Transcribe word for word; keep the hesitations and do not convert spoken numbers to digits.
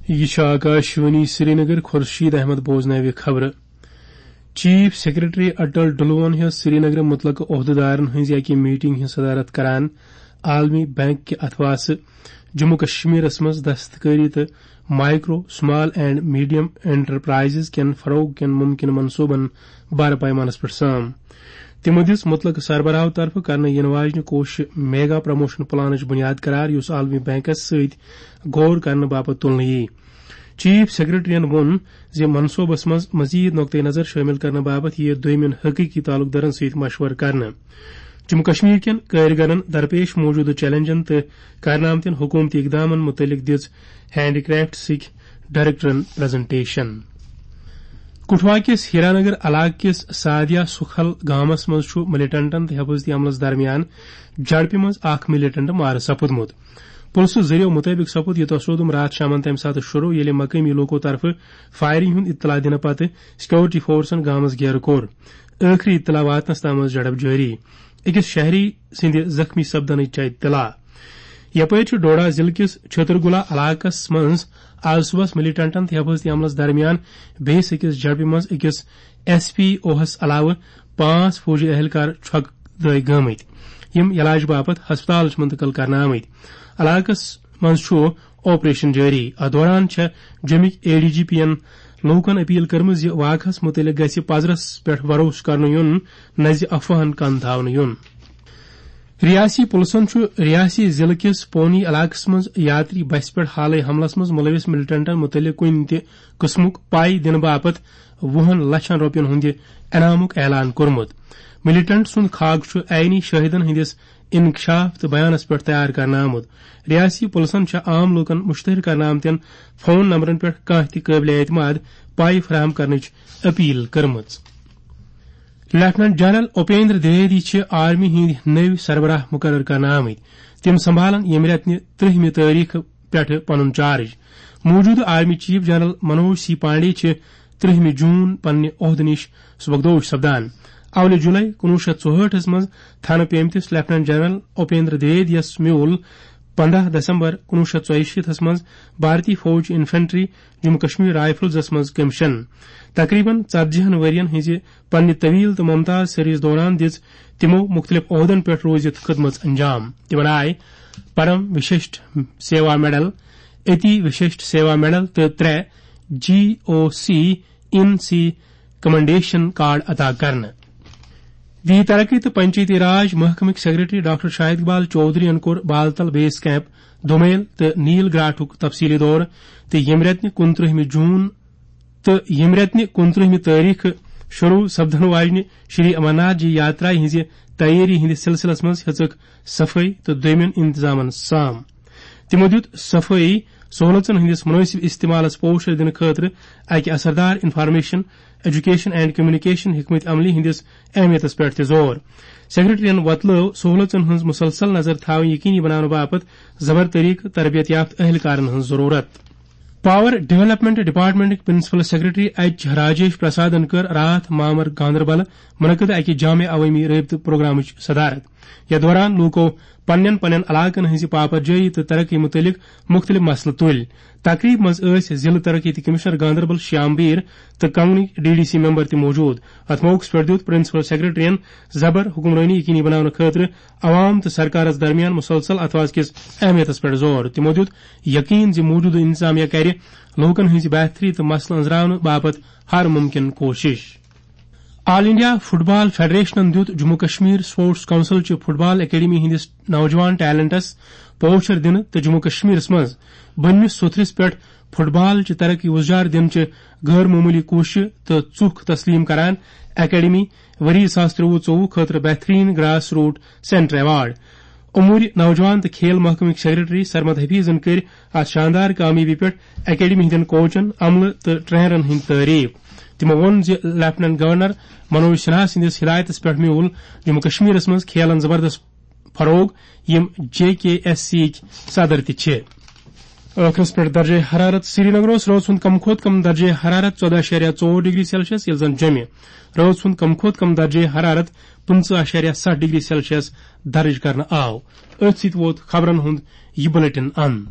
یہِ چھُ آکاشوانی سرینگر۔ خورشید احمد بوزناوِ خبرٕ۔ چیف سیکرٹری اٹل ڈلوہن ہیٚژ سرینگرٕ مُتعلقہٕ عہدٕدارن ہٕنٛزِ اَکہِ میٹنگ ہٕنٛز صدارت کران عالمی بینک کہِ اتھواسہٕ جموں کشمیرس منٛز دستکٲری تہٕ micro, small and medium enterprises کٮ۪ن فروغ کٮ۪ن ممکنہٕ منصوبن بارٕ پیمانس پٮ۪ٹھ سام۔ تِمو دِژ مُتعلقہٕ سربراہو طرفہٕ کرنہٕ یِنہٕ واجنہِ کوششہِ میگا پروموشن پلانٕچ بُنیاد قرار، یُس عالمی بینکس سۭتۍ غور کرنہٕ باپتھ تُلنہٕ یِیہِ۔ چیف سیکرٹریَن ووٚن زِ منصوبس منٛز مزید نقطہٕ نظر شٲمِل کرنہٕ باپتھ یِیہِ دوٚیمٮ۪ن حقیقی تعلق دارن سۭتۍ مشورٕ کرنہٕ۔ جموں کشمیر کٮ۪ن کٲرۍگرن درپیش موجودٕ چیلنجن تہٕ کرنہٕ آمتٮ۪ن حکومتی اقدامن مُتعلق دِژ ہینڈی کرافٹسٕکۍ ڈائریکٹرن پریزنٹیشن۔ کٹھوا کِس ہیرانگر علاقہٕ کِس سادیا سکھل گامس منٛز چھُ ملیٹنٹن تہٕ حفاظتی عملس درمیان جھڑپہِ منٛز اکھ ملیٹنٹ مارٕ سپُدمُت۔ پُلسہٕ ذٔریعہٕ مُطٲبِق سپُد یہِ تصادم راتھ شامن تَمہِ ساتہٕ شروع، ییٚلہِ مقٲمی لوٗکو طرفہٕ فائرنگ ہُنٛد اطلاع دِنہٕ پتہٕ سیکورٹی فورسن گامس گیرٕ کوٚر۔ ٲخری اطلاع واتنس تام ٲس جھڑپ جٲری۔ أکِس شہری سٕنٛدِ زخمی سپدنٕچ چھےٚ اطلاع۔ یپٲرۍ چھُ ڈوڈا ضلعہٕ کِس چھترگولا علاقس منٛز آز صُبحس ملیٹنٹن تہٕ حفاظتی عملس درمیان بیٚیِس أکِس جھڑپہِ منٛز أکِس ایس پی اوہس علاوٕ پانٛژھ فوجی اہلکار چھۄکہٕ دٲغۍ گٲمٕتۍ، یِم علاج باپتھ ہسپتال چھِ منتقل کرنہٕ آمٕتۍ۔ علاقس منٛز چھُ آپریشن جٲری۔ اتھ دوران چھےٚ جوٚمِکۍ اے ڈی جی پی ین لوٗکن اپیل کٔرمٕژ زِ واقعس مُتعلق گژھِ پزرس پٮ۪ٹھ بھروسہٕ کرنہٕ یُن، نہ زِ افواہن کن تھاونہٕ یُن۔ ریاستی پُلسن چھُ ریاستی ضلعہٕ کِس پونی علاقس منٛز یاتری بسہِ پٮ۪ٹھ حالٕے حملس منٛز مُلوِث ملیٹنٹن مُتعلق کُنہِ تہِ قٕسمُک پاے دِنہٕ باپتھ وُہن لچھن رۄپین ہُنٛد انعامُک اعلان کوٚرمُت۔ ملیٹنٹ سُنٛد خاکہٕ چھُ عینی شٲہدن ہٕنٛدِس انکشاف تہٕ بیانس پٮ۪ٹھ تیار کرنہٕ آمُت۔ ریاستی پُلسن چھےٚ عام لوٗکن مُشتہر کرنہٕ آمتٮ۪ن فون نمبرن پٮ۪ٹھ کانٛہہ تہِ قٲبلِ اعتماد پاے فراہم کرنٕچ اپیل کٔرمٕژ۔ لیفٹیننٹ جنرل اپیندر دویدی چھِ آرمی ہٕنٛدۍ نٔوۍ سربراہ مُقرر کرنہٕ آمٕتۍ۔ تِم سنبھالن ییٚمہِ رٮ۪تہٕ نہِ ترٛہمہِ تٲریخہٕ پٮ۪ٹھٕ پنُن چارج۔ موجودٕ army chief general Manoj C Pande چھِ ترٛہمہِ جون پننہِ عہدٕ نِش سبکدوش سپدان۔ اولہِ جولائی کُنوُہ شیٚتھ ژُہٲٹھس منٛز تھنہٕ پیمتِس لیفٹیننٹ جنرل اپیندر دویدیَس میوٗل پندہ دسمبر کُنوُہ شیٚتھ ژۄیہِ شیٖتھس منٛز بھارتی فوج انفنٹری جموں کشمیر رائفلزس منٛز کمیشن۔ تقریباً ژتجی ہن ؤرین ہٕنٛزِ پننہِ طویل تہٕ ممتاز سروس دوران دِژ تِمو مُختٔلِف عہدن پٮ۪ٹھ روٗزِتھ خدمژ انجام۔ تِمن آیہِ پرم وششٹ سیوا میڈل، اتی وششٹ سیوا میڈل تہٕ ترٛےٚ جی او سی ان سی کمنڈیشن کارڈ عطا کرنہٕ۔ دی ترقی تہٕ پنچایتی راج محکمٕکۍ سیکرٹری ڈاکٹر شاہد اقبال چودھرین کوٚر بالتل بیس کیمپ، دومیل تہٕ نیل گراٹھُک تفصیلی دورٕ تہٕ ییٚمہِ رٮ۪تہٕ نہِ کُنترٛہمہِ جون تہٕ ییٚمہِ رٮ۪تہٕ نہِ کُنترٛہمہِ تٲریخہٕ شروع سپدن واجنہِ شری امرناتھ جی یاترا ہٕنٛزِ تیٲری ہٕنٛدِس سلسلس منٛز ہیٚژٕکھ صفٲیی تہٕ دوٚیمٮ۪ن انتظامن سام۔ تِمو دیُت صفٲیی سہولژن ہٕنٛدِس مُنٲسِب استعمالس پوچھر دِنہٕ خٲطرٕ اکہِ اثردار انفارمیشن، ایجوکیشن اینڈ کمیونیکیشن حکمت عملی ہٕنٛدِس اہمیتس پٮ۪ٹھ تہِ زور۔ سیکرٹریَن وۄتلٲو سہولژن ہٕنٛز مسلسل نظر تھاوٕنۍ یقینی بناونہٕ باپتھ زبر طریقہٕ تربیت یافتہٕ اہلکارن ہٕنٛز ضروٗرت۔ پاور ڈیولپمنٹ ڈپارٹمنٹٕکۍ پرنسپل سیکرٹری ایچ راجیش پرسادن کٔر راتھ مامر گاندربل منعقد اکہِ جامع عوٲمی رٲبطہٕ پروگرامٕچ صدارت۔ یتھ دوران لوٗکو پننٮ۪ن پننٮ۪ن علاقن ہٕنٛزِ پاپر جٲیی تہٕ ترقی مُتعلق مُختٔلِف مسلہٕ تُلۍ۔ تقریبہِ منٛز ٲسۍ ضلعہٕ ترقیتی کمشنر گاندربل شیام بیٖر تہٕ کنگنٕکۍ ڈی ڈی سی ممبر تہِ موجود۔ اتھ موقعس پٮ۪ٹھ دیُت پرنسپل سیکرٹریَن زبر حکمرٲنی یقینی بناونہٕ خٲطرٕ عوام تہٕ سرکارس درمیان مسلسل اتھواس کِس اہمیتس پٮ۪ٹھ زور۔ تِمو دیُت یقین زِ موجودٕ انتظامیہ کرِ لوٗکن ہٕنٛزِ بہتری تہٕ مسلہٕ أنٛزراونہٕ باپتھ ہر ممکن کوٗشش۔ آل انڈیا فٹ بال فیڈریشنن دیُت جموں کشمیر سپورٹس کونسل چہِ فٹ بال اکیڈمی ہٕنٛدِس نوجوان ٹیلنٹس پوچھر دِنہٕ تہٕ جموں کشمیرس منٛز بٔنمِس سوٚتھرِس پٮ۪ٹھ فٹ بال چہِ ترقی وُزجار دِنہٕ چہِ غٲر معموٗلی کوٗششہِ تہٕ ژُکھ تسلیم کران اکیڈمی ؤری زٕ ساس ترٛوُہ ژوٚوُہ خٲطرٕ بہترین گراس روٹ سینٹر ایوارڈ۔ امور نوجوان تہٕ کھیل محکمٕکۍ سیکرٹری سرمد حفیظن کٔرۍ اتھ شاندار کامیٲبی پٮ۪ٹھ اکیڈمی ہٕنٛدٮ۪ن کوچن، عملہٕ تہٕ ٹرینرن ہٕنٛدۍ تعریف۔ تِمو ووٚن زِ لیفٹیننٹ گورنر منوج سنہا سٕنٛدِس ہدایتس پٮ۪ٹھ میوٗل جموں کشمیرس منٛز کھیلن زبردست فروغ، یِم جے کے ایس سی یِکۍ صدر تہِ چھِ۔ ٲخرس پٮ۪ٹھ درجہ حرارت۔ سرینگر اوس رٲژ ہُنٛد کم کھۄتہٕ کم درجہ حرارت ژۄدہ اعشاریہ ژور ڈگری سیلسیس، ییٚلہِ زن جوٚمہِ رٲژ ہُنٛد کم کھۄتہٕ کم درجہ حرارت پٕنٛژٕہ اعشاریہ ستھ ڈگری سیلسیس درج کرنہٕ آو۔ أتھۍ سۭتۍ ووت خبرن ہُنٛد یہِ بلیٹن اند۔